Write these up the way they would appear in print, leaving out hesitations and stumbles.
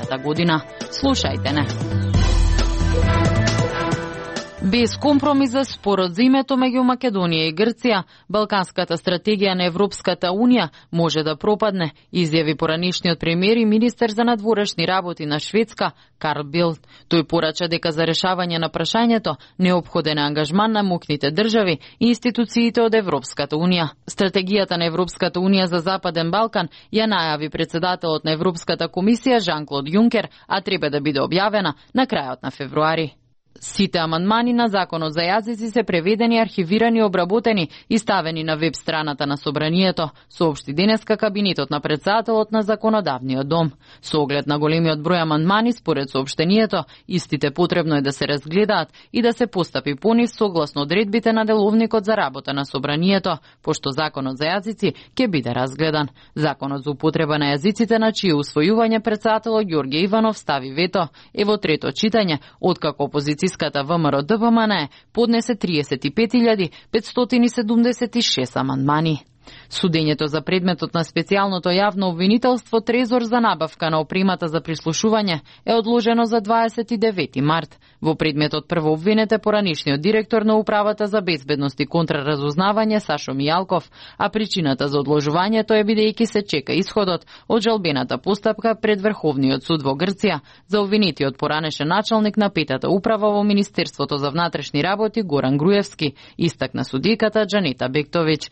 наредната година. Слушајте не. Без компромис за спорот за името меѓу Македонија и Грција, Балканската стратегија на Европската Унија може да пропадне, изјави поранишниот премиер и министер за надворешни работи на Шведска, Карл Билд. Тој порача дека за решавање на прашањето неопходен е ангажман на мокните држави и институциите од Европската Унија. Стратегијата на Европската Унија за Западен Балкан ја најави председателот на Европската комисија Жан-Клод Јункер, а треба да биде објавена на крајот на февруари. Сите амандмани на Законот за јазици се преведени, архивирани, обработени и ставени на веб страната на Собранието, соопшти денеска кабинетот на председателот на Законодавниот дом. Со оглед на големиот број амандмани, според соопштението, истите потребно е да се разгледаат и да се постапи по нив согласно одредбите на Деловникот за работа на Собранието, пошто Законот за јазици ќе биде разгледан. Законот за употреба на јазиците, на чие усвојување председателот Ѓорѓе Иванов стави вето, е во трето читање, откако опозиција ВМРО ДПМН поднесе 35.576 амандмани. Судењето за предметот на специјалното јавно обвинителство Трезор за набавка на опремата за прислушување е одложено за 29 март. Во предметот прво обвинет е поранишниот директор на Управата за безбедност и контраразузнавање Сашо Мијалков, а причината за одложувањето е бидејќи се чека исходот од жалбената постапка пред Врховниот суд во Грција за обвинетиот поранешен началник на петата управа во Министерството за внатрешни работи Горан Груевски, истакна судиката Џанета Бектовиќ.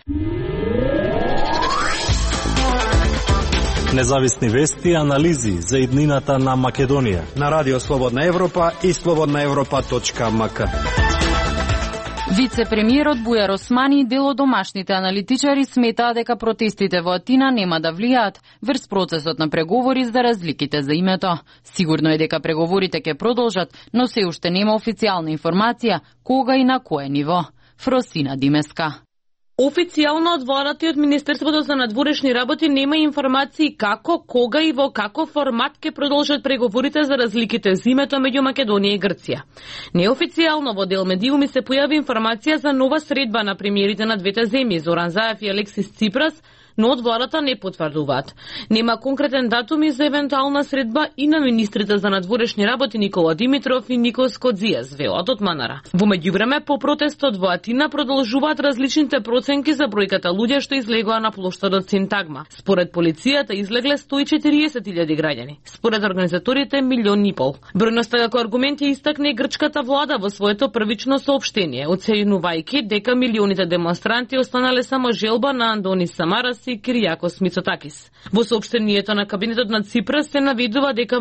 Независни вести и анализи за иднината на Македонија на Радио Слободна Европа и slobodnaevropa.mk. Вице-премиерот Бујар Османи и дел од домашните аналитичари сметаат дека протестите во Атина нема да влијаат врз процесот на преговори за разликите за името. Сигурно е дека преговорите ќе продолжат, но се уште нема официјална информација кога и на кое ниво. Фросина Димеска. Официјално од владата и од Министерството за надворешни работи нема информации како, кога и во каков формат ќе продолжат преговорите за разликите за името меѓу Македонија и Грција. Неофицијално во дел медиуми се појави информација за нова средба на премиерите на двете земји, Зоран Заев и Алексис Ципрас, но од владата не потврдуваат. Нема конкретен датум и за евентуална средба и на министрите за надворешни работи Никола Димитров и Никос Кодзијас, велат од Манара. Во меѓувреме, по протестот во Атина продолжуваат различните проценки за бројката луѓе што излегоа на плоштадот Синтагма. Според полицијата излегле 140.000 граѓани. Според организаторите 1,5 милиони. Бројноста како аргумент ја истакне и грчката влада во своето првично соопштение, оценувајќи дека милионите демонстранти останале само желба на Андонис Самарас и Киријакос Мицотакис. Во соопштението на кабинетот на Ципрас се наведува дека